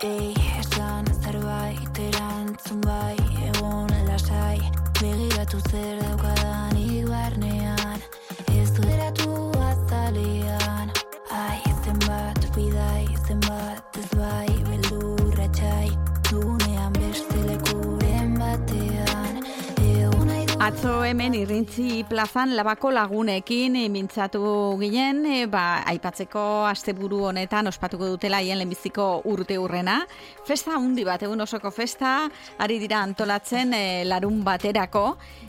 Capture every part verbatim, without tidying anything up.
Ei, esan zerbait erantzun bai, egon lasai, begiratu zer daukadanik barnean, ez du eratu azalean, ai, zenbat bidai, zenbat ez bai, beldurra txai, dugunean beste lekuren batean, egon nahi du... Atzo hemen Irrintzi plazan Labako lagunekin mintzatu ginen, e, ba, aipatzeko asteburu honetan ospatuko dutela hien lehenbiziko urte hurrena. Festa handi bat, egun osoko festa, ari dira antolatzen e, larun baterako,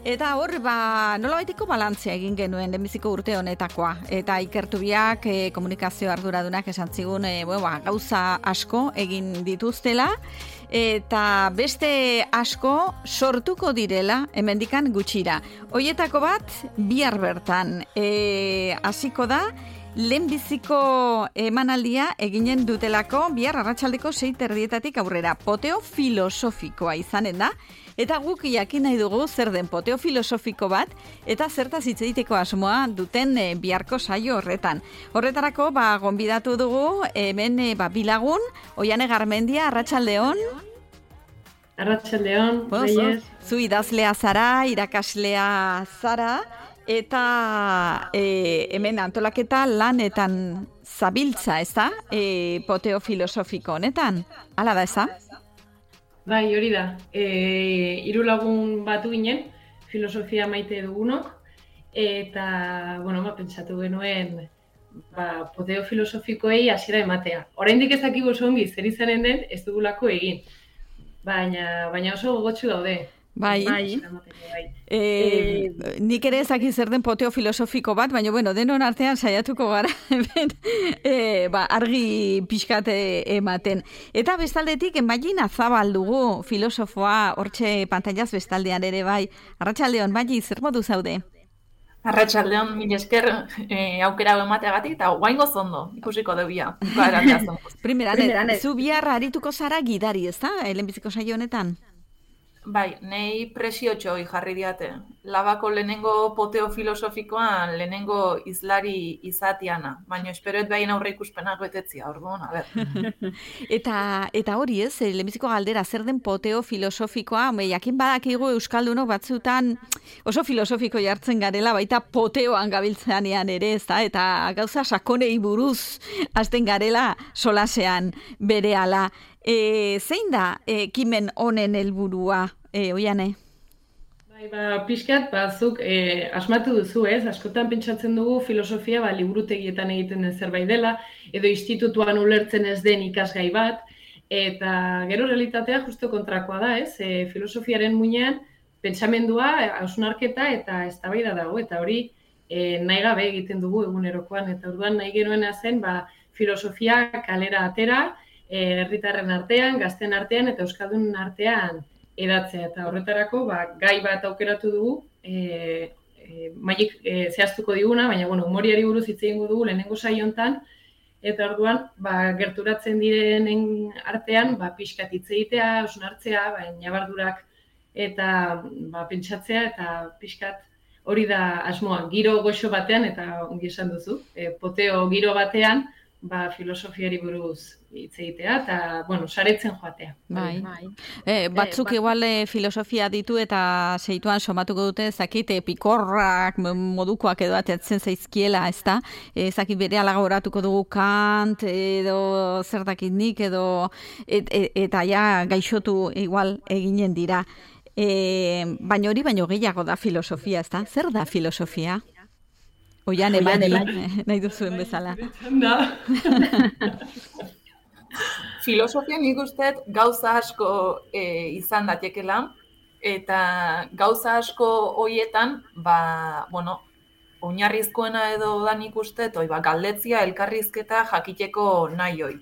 eta hor, ba, nolabaiteko balantzea egin genuen lehenbiziko urte honetakoa. Eta ikertu biak e, komunikazio arduradunak esan zigun, e, bueno, ba, gauza asko egin dituztela, eta beste asko sortuko direla hemendikan gutxira. Hoietako bat bihar bertan e, hasiko da lehenbiziko emanaldia eginen dutelako bihar arratsaldeko sei terdietatik aurrera. Poteo filosofikoa izanen da, eta guk jakin nahi dugu zer den poteo filosofiko bat eta zertaz hitz egiteko asmoa duten e, biharko saio horretan. Horretarako ba gonbidatu dugu hemen e, ba bilagun, Oiane Garmendia, arratsaldeon. Arratsaldeon, bueno, zu idazlea zara, irakaslea zara, eta e, hemen antolaketa lanetan zabiltza, ez da? E, poteo filosofiko honetan, hala da, ez da? Bai, hori da. E, hiru lagun batu ginen, filosofia maite dugunok, eta, bueno, ba, pentsatu genuen, ba, poteo filosofikoei hasiera ematea. Oraindik ez dakigu oso ongi zer izanen den, ez dugulako egin. Baina, baina oso gogotsu daude. Bai, bai. E, e, nik ere ezaki zer den poteo filosofiko bat, baina bueno, denon artean saiatuko gara hemen e, ba, argi pixkate ematen. Eta bestaldetik, Enbailin Zabal dugu filosofoa, hortxe pantailaz bestaldean ere bai. Arratsaldeon, Enbaili, zer modu zaude? Arratsaldeon, mil esker eh, aukera emateagatik eta guaingo zondo, ikusiko debia. Primeran, zu bihar arituko zara gidari, ez da? Lehenbiziko saio honetan? Bai, nei presiotxo jarri diate. Labako lehenengo poteo filosofikoan lehenengo izlari izatiana, baina esperoet behin aurre ikuspenak betetzia, orduan, a ber. eta, eta hori ez, lehenbiziko galdera, zer den poteo filosofikoa, me, jakin badakigu euskaldunok batzutan oso filosofiko jartzen garela, baita poteoan gabiltzeanean ere, ez da, eta gauza sakonei buruz hasten garela solasean berehala. E, zein da ekimen honen helburua, e, Oiane? Bai, ba, pixkat, bazuk e, asmatu duzu ez, askotan pentsatzen dugu filosofia ba, liburutegietan egiten den zerbait dela, edo institutuan ulertzen ez den ikasgai bat, eta gero realitatea justo kontrakoa da ez, e, filosofiaren muinean pentsamendua, hausnarketa eta eztabaida dago, eta hori e, nahi gabe egiten dugu egunerokoan, eta orduan nahi genuena zen ba, filosofia kalera atera, herritarren artean, gazten artean eta euskaldunen artean edatzea. Eta horretarako ba, gai bat aukeratu dugu, e, e, maik e, zehaztuko diguna, baina bueno, humoriari buruz hitz egingo dugu lehenengo saio hontan, eta orduan ba, gerturatzen direnen artean ba, pixkat hitz egitea, hausnartzea, ba, ñabardurak eta ba, pentsatzea eta pixkat hori da asmoa, giro goxo batean, eta ongi esan duzu, e, poteo giro batean, ba, filosofiari buruz hitz egitea eta, bueno, saretzen joatea. Bai. bai. E, batzuk igual e, filosofia ditu eta seituan somatuko dute, zakite, pikorrak modukoak edo atetzen zaizkiela, ez da? E, zakit bere alagoratuko dugu Kant, edo zertakit nik, edo et, et, eta ja gaixotu igual eginen dira. E, baina hori baino gehiago da filosofia, ez da? Zer da filosofia? Oiane, Oiane, nahi duzuen bezala. Filosofia nik usteet gauza asko e, izan datekela, eta gauza asko hoietan, ba, bueno, oinarrizkoena edo da nik usteet, oi, ba, galdetzia, elkarrizketa jakiteko nahi hoi.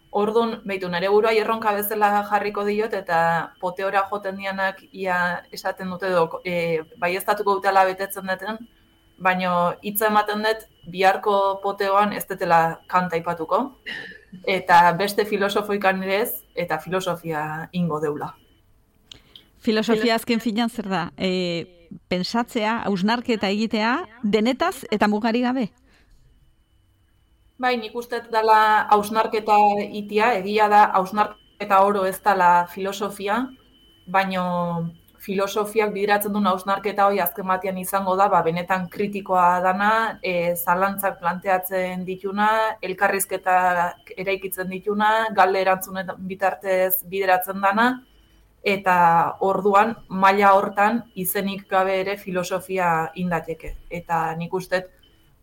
Orduan, behitu, nire burua erronka bezala jarriko diot, eta poteora joten dianak ia esaten dute edo, e, bai estatuko dutela betetzen duten, baina hitza ematen dut biharko poteoan ez dutela Kant aipatuko, eta beste filosofoikan ere ez, eta filosofia ingo deula. Filosofia azken finan zer da? E, pensatzea, hausnarketa egitea, denetaz eta mugari gabe? Bai, nik uste dela hausnarketa itia, egia da hausnarketa eta oro ez dela filosofia, baino filosofiak bideratzen duen hausnarketa hori azken batean izango da, ba, benetan kritikoa dana, e, zalantzak planteatzen dituna, elkarrizketak eraikitzen dituna, galde erantzunen bitartez bideratzen dana, eta orduan maila hortan izenik gabe ere filosofia indateke. Eta nik uste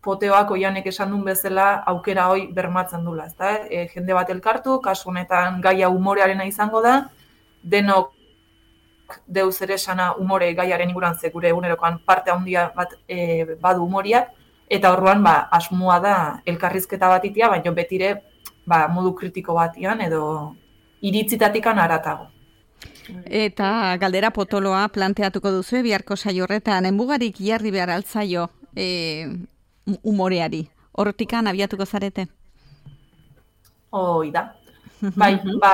Poteoak oianek esan duen bezala aukera hoi bermatzen dula. Ezta? E, jende bat elkartu, kasu honetan gaia umorearena izango da, denok deuz ere esana umore gaiaren inguruan ze gure egunerokoan parte handia bat e, badu umoriak, eta orduan ba, asmoa da elkarrizketa bat itia, baina betire ba, modu kritiko batian edo iritzitatikan aratago. Eta galdera potoloa planteatuko duzu biharko saio horretan, enbugarik jarri behar altzaio e, umoreari. Hortikan abiatuko zarete? Hoi da. Bai, ba,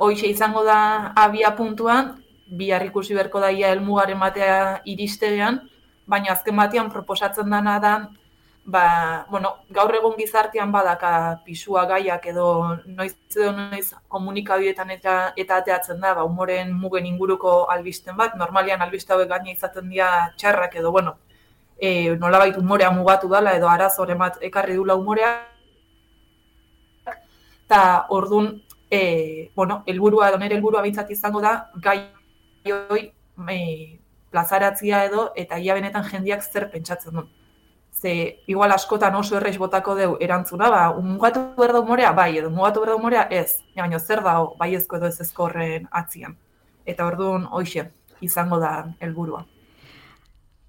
hoixe izango da abia puntuan, bihar ikusi beharko daia helmugaren batea iristean, baina azken batean proposatzen dana da, ba, bueno, gaur egun gizartean badaka pisua gaiak edo noiz edo noiz komunikabideetan eta, eta ateatzen da, ba, umoren mugen inguruko albisten bat, normalian albiste hauek gaina izaten dira txarrak edo, bueno, e, nolabait umorea mugatu dela edo arazoren bat ekarri dula umorea, eta orduan, e, bueno, helburua edo nire helburua bintzat izango da, gai hoi e, plazaratzia edo, eta ia benetan jendiak zer pentsatzen duen. Ze, igual askotan oso erreiz botako deu erantzuna, ba, mugatu behar da umorea, bai, edo mugatu behar da umorea, ez. Baina zer da, bai ezko edo ez ezko horren atzian. Eta orduan, hoixe, izango da helburua.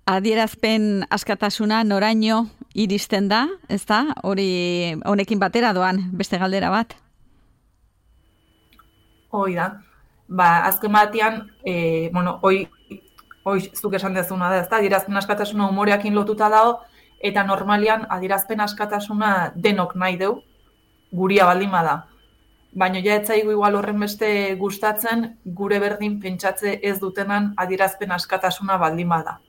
Adierazpen askatasuna noraino iristen da, ez da? Hori honekin batera doan, beste galdera bat? Hoi da. Ba, azken batean, e, bueno, hoi, hoi zuk esan dezuna da, ez da? Adierazpen askatasuna umoreakin lotuta dago, eta normalian adierazpen askatasuna denok nahi deu, guria baldin bada. Baina ja etzaigu igual horren beste gustatzen, gure berdin pentsatze ez dutenan adierazpen askatasuna baldin bada.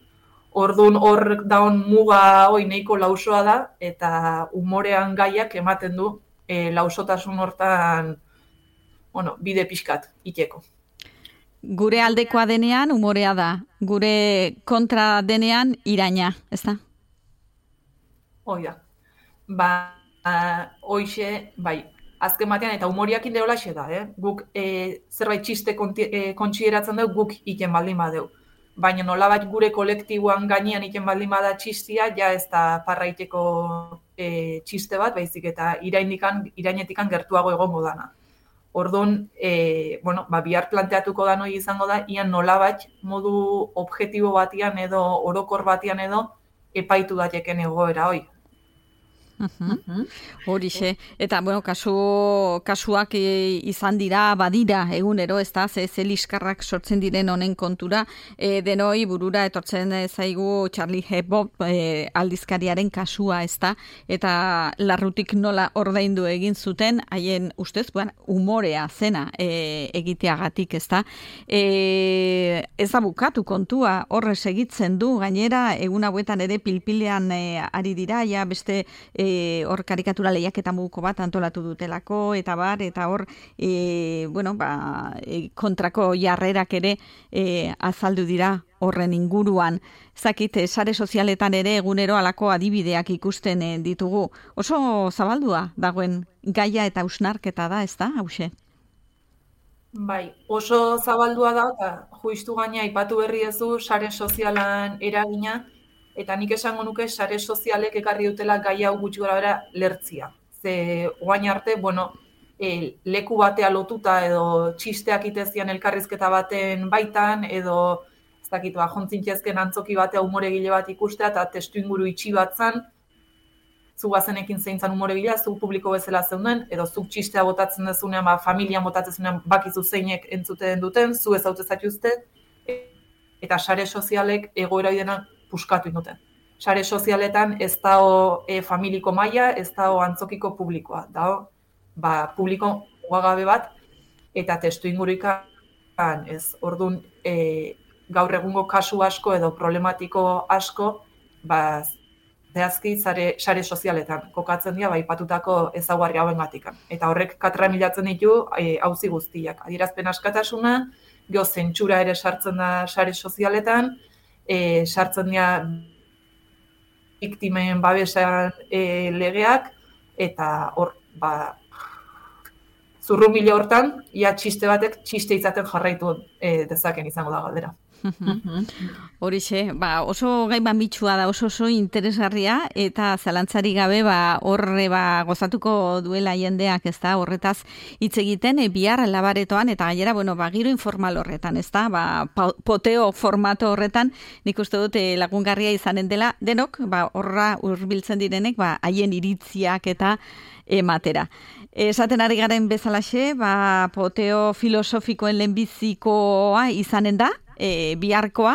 Orduan hor daun muga hoi nahiko lausoa da, eta umorean gaiak ematen du e, lausotasun hortan, bueno, bide pixkat iteko. Gure aldekoa denean umorea da, gure kontra denean iraina, ez da? Hoi da. Ba, hoixe, bai, azken batean eta umoriakin deolaxe da, eh? Guk e, zerbait txiste e, kontsideratzen dugu, guk iken baldin badeu. Baina nolabait gure kolektiboan gainean iken baldin bada txistia, ja ez da parraiteko e, txiste bat, baizik eta irainikan, irainetikan gertuago egongo dana. Orduan, e, bueno, ba, bihar planteatuko da noi izango da, ian nolabait modu objektibo batian edo orokor batian edo epaitu dateken egoera hoi. Uh-huh. Horixe, eta bueno, kasu, kasuak e, izan dira, badira egunero, ez da, ze, ze liskarrak sortzen diren honen kontura, e, denoi burura etortzen zaigu Charlie Hebdo e, aldizkariaren kasua, ez da, eta larrutik nola ordaindu egin zuten, haien ustez, bueno, umorea zena e, egiteagatik, ez da. E, ez da bukatu kontua, horre segitzen du, gainera, egun hauetan ere pilpilean e, ari dira, ja beste e, hor karikatura lehiaketa muguko bat antolatu dutelako, eta bar, eta hor e, bueno, ba, e, kontrako jarrerak ere e, azaldu dira horren inguruan. Zakit, sare sozialetan ere egunero alako adibideak ikusten e, ditugu. Oso zabaldua dagoen gaia eta hausnarketa da, ez da, hause? Bai, oso zabaldua da, eta juistu gaina aipatu berri ezu sare sozialan eragina, eta nik esango nuke sare sozialek ekarri dutela gai hau gutxi gorabehera lertzia. Ze oain arte, bueno, e, leku batea lotuta edo txisteak itezian elkarrizketa baten baitan, edo ez dakit, ba, jontzintezken antzoki batea umoregile bat ikustea, eta testu inguru itxi bat zan, zu bazenekin zein zan umoregilea, zu publiko bezala zeuden, edo zuk txistea botatzen dezunean, ba, familia botatzen dezunean bakizu zeinek entzuten duten, zu ez haute zatuzte, eta sare sozialek egoera dena puskatu induten. Sare sozialetan ez dao e, familiko maila, ez dao antzokiko publikoa. Dao, ba, publiko ugagabe bat, eta testu ingurikan ez. Orduan, e, gaur egungo kasu asko edo problematiko asko, ba, zehazki sare, sare sozialetan kokatzen dira baipatutako ezaugarri hauengatik. Eta horrek katramilatzen ditu auzi guztiak. Adierazpen askatasuna, geho zentsura ere sartzen da sare sozialetan, e, sartzen dira biktimen babesan e, legeak, eta hor, ba, zurrumile hortan, ia txiste batek txiste izaten jarraitu e, dezaken izango da galdera. Horixe, ba, oso gai mamitsua da, oso oso interesgarria, eta zalantzari gabe ba, horre ba, gozatuko duela jendeak, ez da, horretaz hitz egiten, e, bihar labaretoan, eta gainera, bueno, ba, giro informal horretan, ez da, ba, poteo formato horretan, nik uste dut e, lagungarria izanen dela, denok, ba, horra hurbiltzen direnek, ba, haien iritziak eta ematera. Esaten ari garen bezalaxe, ba, poteo filosofikoen lehenbizikoa izanen da, E, biharkoa,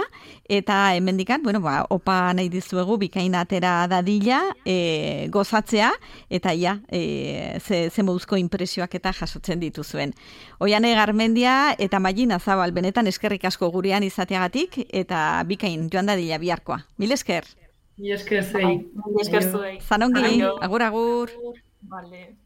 eta hemendikan, bueno, ba, opa nahi dizuegu bikain atera dadila, e, gozatzea, eta ja, e, ze, ze moduzko impresioak eta jasotzen dituzuen. Oiane Garmendia eta Mailina Zabal, benetan eskerrik asko gurean izateagatik, eta bikain joan dadila biharkoa. Mil esker. Mil esker zei. Mil esker zuei. Zanongi, agur, agur. Vale.